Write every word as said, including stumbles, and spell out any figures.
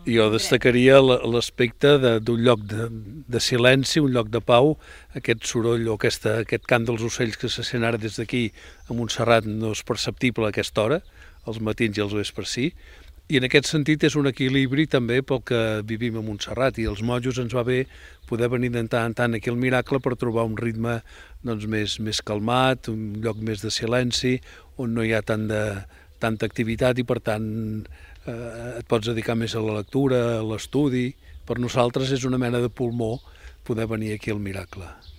Jo destacaria l'aspecte d'un lloc de, de silenci, un lloc de pau, aquest soroll o aquesta, aquest cant dels ocells que se sent ara des d'aquí a Montserrat no és perceptible a aquesta hora, els matins i els vespres sí, i en aquest sentit és un equilibri també pel que vivim a Montserrat, i als monjos ens va bé poder venir de tant en tant aquí al Miracle per trobar un ritme doncs, més, més calmat, un lloc més de silenci, on no hi ha tant de, tanta activitat i per tant eh, et pots dedicar més a la lectura, a l'estudi. Per nosaltres és una mena de pulmó poder venir aquí al Miracle.